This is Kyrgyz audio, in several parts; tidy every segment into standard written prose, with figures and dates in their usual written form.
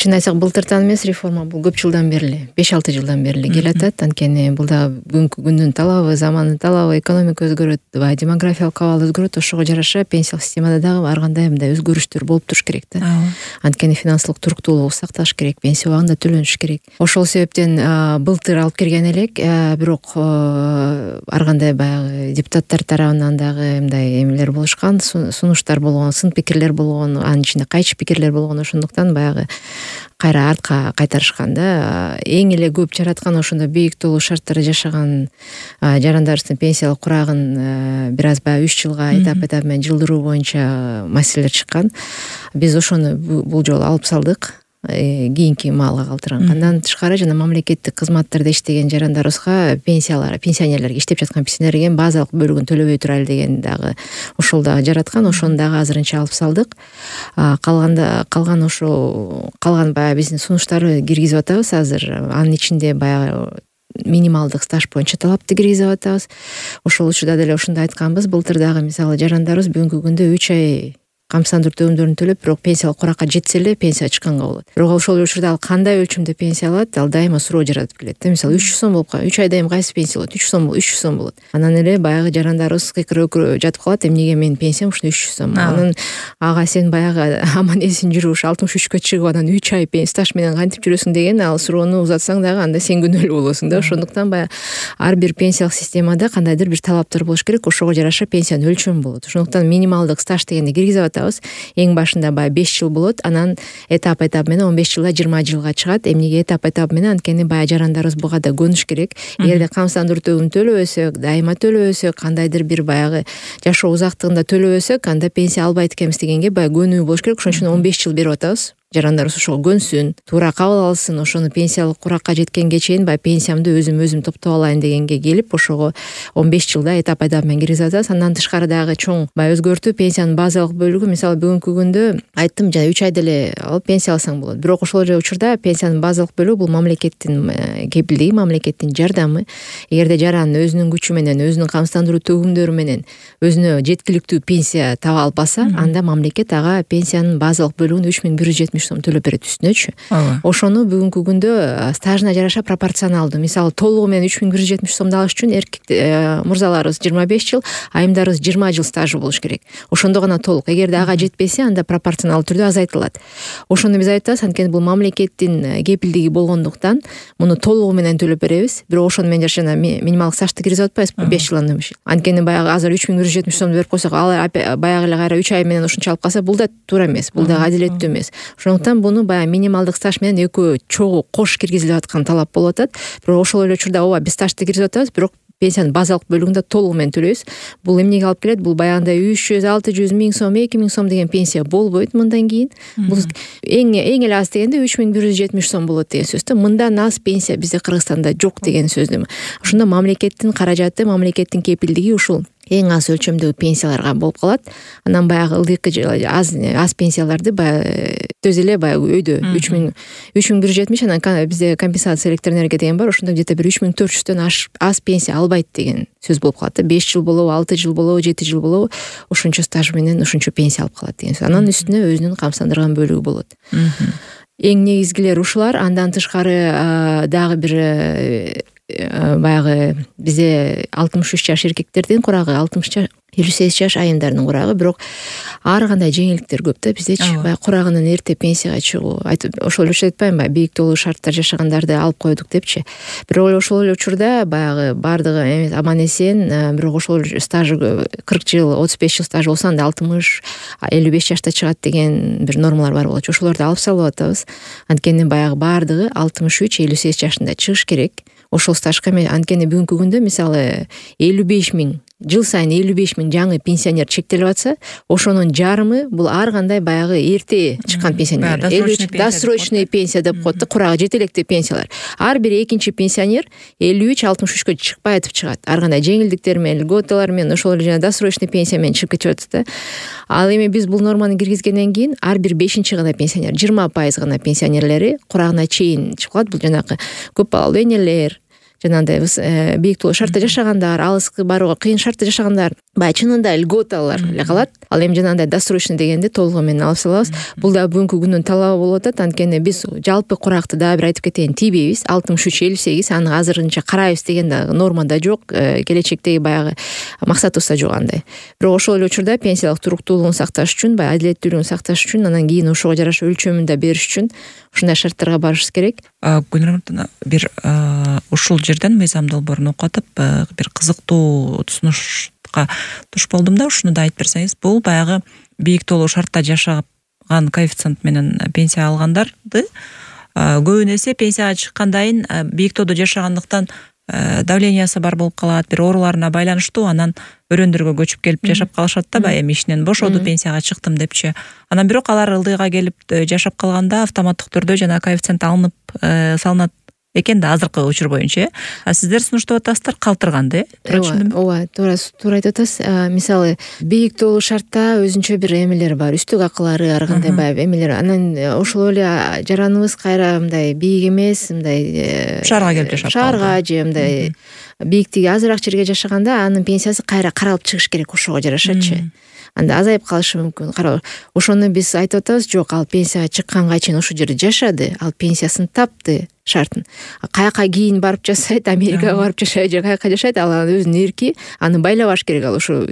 Чын айтсак былтыртан эмес реформа, бул көп жылдан бери, 5-6 жылдан бери келатат. Анткени бул да бүгүнкү күндүн талабы, замандын талабы, экономика өзгөрөт, демографиялык абал өзгөрөт. Ошого жараша пенсиялык системада дагы ар кандай мындай өзгөрүштөр болуп туруш керек да. Анткени финансылык туруктуулугу сакталыш керек, пенсия убагында төлөнүш керек. Ошол себептен былтыр алып келген элек, бирок ар кандай баягы депутаттар тарабынан дагы мындай эмелер болушкан, сунуштар болгон, сын пикирлер болгон, анын ичинде кайчы пикирлер болгон. Ошондуктан баягы кайра артка кайтарышкан да. Эң эле көп жараткан ошондо бийик толуу шарттары жашаган жарандарыбыздын пенсиялык курагын бир аз баягы 3 жылга этап менен жылдыруу боюнча маселелер чыккан. Биз ошону бул жолу алып салдык. Кийинки маалга калтырган. Андан тышкары жана мамлекеттик кызматтарда иштеген жарандарыбызга пенсионерлерге, иштеп жаткан пенсионерге базалык бөлүгүн төлөбөй турайлы деген дагы ошол дагы жараткан. Ошону дагы азырынча алып салдык. Калган баягы биздин сунуштарды киргизип атабыз азыр. Анын ичинде баягы минималдык стаж боюнча талапты киргизип атабыз. Ошол учурда деле ошондой айтканбыз. Былтыр дагы мисалы жарандарыбыз бүгүнкү күндө 3 ай камсыздандыруу төлөмдөрүн төлөп, бирок пенсиялык куракка жетсе эле пенсия чыкканга болот. Бирок ошол учурда ал кандай өлчөмдө пенсия алат, ал дайыма суроо жаратып келет. Мисалы 300 сом болуп калат. 3 айда эми кайсы пенсия болот? 300 сом болот. Анан эле баягы жарандарыбыз кыйкырып жатып калат. Эмнеге менин пенсиям ушундай 300 сом? Анан ага сен баягы аман эсин жүрүп ушу 63кө чыгып анан 3 ай стаж менен кантип жүрөсүң деген ал суроону узатсаң дагы анда сен күнөөлүү болосуң да. Ошондуктан баягы ар бир пенсиялык системада кандайдыр бир талаптар болуш керек. Ошого жараша пенсиянын өлчөмү болот. Ошондуктан минималдык стаж дегенди киргизип атабыз. Эң башында баягы 5 жыл болот, анан этап менен 15 жылда 20 жылга чыгат. Эмнеге этап менен? Анткени баягы жарандарыбыз буга да көнүш керек. Эгерде камсыздандыруу төлөмүн төлөбөсөк, дайыма төлөбөсөк, кандайдыр бир баягы жашоо узактыгында төлөбөсөк, анда пенсия албайт экенбиз дегенге баягы көнүү болуш керек. Ошон үчүн 15 жыл берип атабыз. Жарандарыбыз ошого көнсүн, туура кабыл алсын, ошону пенсиялык куракка жеткенге чейин баягы пенсиямды өзүм топтоп алайын дегенге келип, ошого 15 жылда этап менен киргизип атабыз. Андан тышкары дагы чоң баягы өзгөртүү пенсиянын базалык бөлүгү, мисалы бүгүнкү күндө айттым, жана 3 айда эле алып пенсия алсаң болот. Бирок ошол учурда пенсиянын базалык бөлүгү бул мамлекеттин кепилдиги, мамлекеттин жардамы. Эгерде жаран өзүнүн күчү менен, өзүнүн камсыздандыруу төгүмдөрү менен өзүнө жеткиликтүү пенсия таба албаса, анда мамлекет ага пенсиянын базалык бөлүгүн 3170 сом төлөп берет үстүнөчү. Ошону бүгүнкү күндө стажына жараша пропорционалдуу. Мисалы толугу менен 3170 сомду алыш үчүн мурзаларыбыз 25 жыл, айымдарыбыз 20 жыл стажы болуш керек. Ошондо гана толук. Эгерде ага жетпесе, анда пропорционалдуу түрдө азайтылат. Ошону биз айтабыз, анткени бул мамлекеттин кепилдиги болгондуктан муну толугу менен төлөп беребиз. Бирок ошону менен жана минималдык стажды киргизип атпайбызбы 5 жылдан өмүш. Анткени баягы азыр 3170 сомду берип койсок, ал баягы эле кайра 3 ай менен ушунча алып калса, бул да туура эмес, бул да адилеттүү эмес. Ошондуктан буну баягы минималдык стаж менен экөө чогуу кош киргизилип аткан талап болуп атат. Бирок ошол эле учурда ооба биз стажды киргизип атабыз, бирок пенсиянын базалык бөлүгүндө толугу менен төлөйбүз. Бул эмнеге алып келет? Бул баягындай 300, 600 миң сом, 2000 сом деген пенсия болбойт мындан кийин. Бул эң эле аз дегенде 3170 сом болот деген сөз да. Мындан аз пенсия бизде Кыргызстанда жок деген сөздөр. Ошондо мамлекеттин каражаты, мамлекеттин кепилдиги ушул эң аз өлчөмдөгү пенсияларга болуп калат. Анан баягы ылдыйкы аз пенсияларды баягы төз эле баягы өйдө 3170, анан бизде компенсация электроэнергия деген бар. Ошондо где-то бир 3400дөн аз пенсия албайт деген сөз болуп калат. 5 жыл болобу, 6 жыл болобу, 7 жыл болобу, ошончо стаж менен ошончо пенсия алып калат деген сөз. Анан үстүнө өзүнүн камсыздандырган бөлүгү болот. Эң негизгилери ушулар. Андан тышкары дагы бир баягы бизде 63 жаш эркектердин курагы, 58 жаш айымдардын курагы, бирок ар кандай жеңилдиктер көп да биздечи. Баягы курагынан эрте пенсияга чыгуу, ошол эле айтпаймынбы, бийик толуу шарттар жашагандарды алып койдук депчи. Бирок ошол эле учурда баягы бардыгы эмес аман эсен, бирок ошол стажы 40 жыл, 35 жыл стаж болсо анда 60, 55 жашта чыгат деген бир нормалар бар болчу. Ошолорду алып салып атабыз. Анткени баягы бардыгы 63, 58 жашында чыгыш керек. Ошол стажга анткени бүгүнкү күндө мисалы 55 миң, жыл сайын 55 миң жаңы пенсионер чектелип атса, ошонун жарымы бул ар кандай баягы эрте чыккан пенсионер. Досрочный пенсия деп коет да, курагы жетелектүү пенсиялар. Ар бир экинчи пенсионер 53-63кө чыкпай атып чыгат. Ар кандай жеңилдиктер менен, льготалар менен, ошол эле жана досрочный пенсия менен чыгып кетип атат да. Ал эми биз бул норманы киргизгенден кийин ар бир 5-чи гана пенсионер, 20% гана пенсионерлери курагына чейин чыгып калат. Бул жанагы көп балалуу энелер, жанагындай бийик тоолуу шартта жашагандар, алыска барууга кыйын шартта жашагандар баягы чынында льготалар эле калат. Ал эми жанагындай досрочный дегенди толугу менен алып салабыз. Бул да бүгүнкү күндүн талабы болуп атат. Анткени биз жалпы куракты дагы бир айтып кетейин, тийбейбиз. 63-58 аны азырынча карайбыз деген да нормада жок, келечектеги баягы максатыбызда жок андай. Бирок ошол эле учурда пенсиялык туруктуулугун сакташ үчүн, баягы адилеттүүлүгүн сакташ үчүн, анан кийин ошого жараша өлчөмүн да бериш үчүн ушундай шарттарга барышыбыз керек. Гүлнар бир ушул жерден мыйзам долбоорун окуп атып бир кызыктуу тусунушка туш болдум да, ушуну да айтып берсеңиз. Бул баягы бийик тоолуу шартта жашаган коэффициент менен пенсия алгандарды көбүн эсе пенсияга чыккандайын бийик тоодо жашагандыктан давлениясы бар болуп калат, бир ооруларына байланыштуу, анан өрөөндөргө көчүп келип жашап калышат да, баягы эми ишинен бошоду, пенсияга чыктым депчи. Анан бирок алар ылдыйга келип жашап калганда автоматтык түрдө жана коэффициент алынып салынат экен да азыркы учур боюнча. Сиздер сунуштап атасыздар калтырганды, туура түшүндүмбү? Ооба, туура айтып атасыз. Мисалы, бийик тоолуу шартта өзүнчө бир эмелери бар, үстүк акылары, ар кандай баягы эмелер. Анан ошол эле жараныбыз кайра мындай бийик эмес, мындай шаарга келип жашап шаарга же мындай бийиктиги азыраак жерге жашаганда анын пенсиясы кайра каралып чыгыш керек ошого жарашачы. Анда азайып калышы мүмкүн. Ошону биз айтып атабыз, жок, ал пенсияга чыкканга чейин ошол жерде жашады, ал пенсиясын тапты шартын. Каяка кийин барып жасайт, Америкага барып жашайт же каяка жашайт, ал өзүнүн эрки, аны байлабаш керек. Ал ошо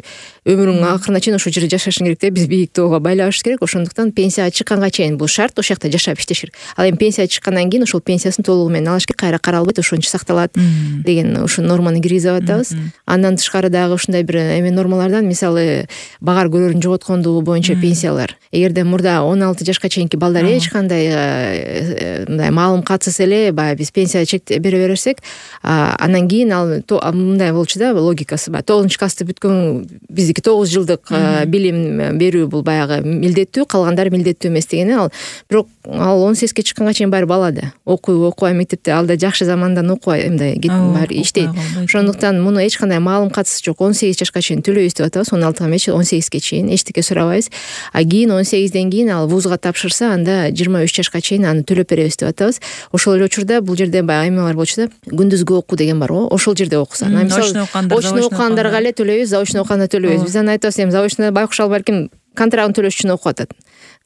өмүрүнүн акырына чейин ошол жерде жашашың керек да, биз бийик тоого байлабаш керек. Ошондуктан пенсияга чыкканга чейин бул шарт, ошол жакта жашап иштеш керек. Ал эми пенсияга чыккандан кийин ошол пенсиясын толугу менен алыш керек, кайра каралбайт, ошончо сакталат деген ушул норманы киргизип атабыз. Андан тышкары дагы ушундай бир эме нормалардан, мисалы, багар көрөрүн жоготкондугу боюнча пенсиялар. Эгерде мурда 16 жашка чейинки балдар эч кандай мындай маалым катсыз эле баягы биз пенсия бере берсек, анан кийин ал мындай болчу да, логикасы бар. 9-классты бүткөн биздики 9 жылдык билим берүү бул баягы милдеттүү, калгандары милдеттүү эмес дегени. Ал бирок ал 18ге чыкканга чейин баары бала да. Окубай мектепте, ал да жакшы замандан окубай мындай баары иштейт. Ошондуктан муну эч кандай маалым катсыз жок. 18 жашка чейин төлөйбүз деп атабыз. 16 эмес, 18ге чейин эчтеке сурабайбыз. Кийин 18ден кийин ал вузга тапшырса, анда 23 жашка чейин аны төлөп беребиз деп атабыз. Ошол эле учурда бул жерде баягы эме бар болчу да, күндүзгү окуу деген бар го, ошол жерде окуса. Очно окугандарга эле төлөйбүз, заочно окуганда төлөйбүз. Биз аны айтабыз, эми заочно байкуш ал балким контрагын төлөш үчүн окуп атат.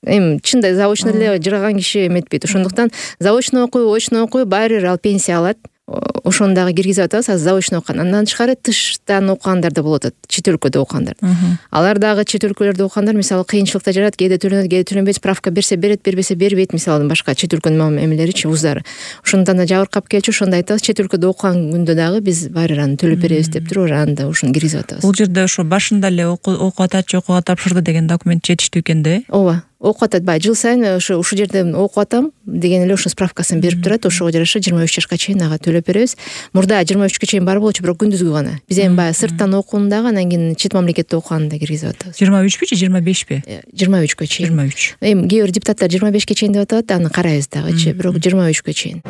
Эми чынында заочно эле жыргаган киши эметпейт. Ошондуктан заочно окуй, очно окуй, баары бир ал пенсия алат. Ошону дагы киргизип атабыз, азыр заочно окуган. Андан тышкары тыштан окугандар да болуп атат, чет өлкөдө окугандар. Алар дагы чет өлкөлөрдө окугандар мисалы кыйынчылыкта жарат, кээде төлөнөт, кээде төлөнбөйт, справка берсе берет, бербесе бербейт, мисалы башка чет өлкөнүн эмелеричи, вуздары. Ошондон да жабыркап келчү, ошондо айтабыз, чет өлкөдө окуган күндө дагы биз баары аны төлөп беребиз деп туруп, аны да ушуну киргизип атабыз. Бул жерде ошо башында эле окуп атат, окууга тапшырды деген документ жетиштүү экен да. Ооба. Окуп атат, баягы жыл сайын ушул жерде окуп атам деген эле ошо справкасын берип турат. Ошого жараша 23 жашка чейин ага төлөп беребиз. Мурда 23-кө чейин бар болчу, бирок күндүзгү гана. Биз эми баягы сырттан окууну дагы, анан кийин чет мамлекетте окуганды да киргизип атабыз. 23 же 25 23-кө чейин. 23. Эми кээ бир депутаттар 25-ке чейин деп атат, аны карайбыз дагычы, бирок 23-кө чейин.